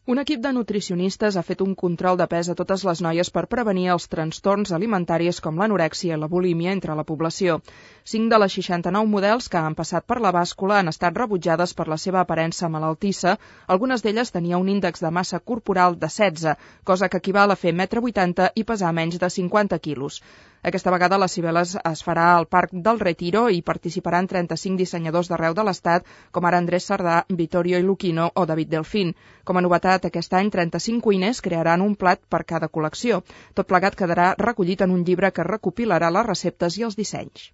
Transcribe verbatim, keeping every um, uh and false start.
Un equip de nutricionistes ha fet un control de pes a totes les noies per prevenir els trastorns alimentaris com l'anorèxia i la bulímia entre la població. Cinc de les seixanta-nou models que han passat per la bàscula han estat rebutjades per la seva aparença malaltissa. Algunes d'elles tenia un índex de massa corporal de setze, cosa que equival a fer un metre vuitanta i pesar menys de cinquanta quilos. Aquesta vegada la Cibeles es farà al Parc del Retiro i participaran trenta-cinc dissenyadors d'arreu de l'Estat, com ara Andrés Sardà, Vittorio Luquino o David Delfín. Com a novetat, aquest any trenta-cinc cuiners crearan un plat per cada col·lecció. Tot plegat quedarà recollit en un llibre que recopilarà les receptes i els dissenys.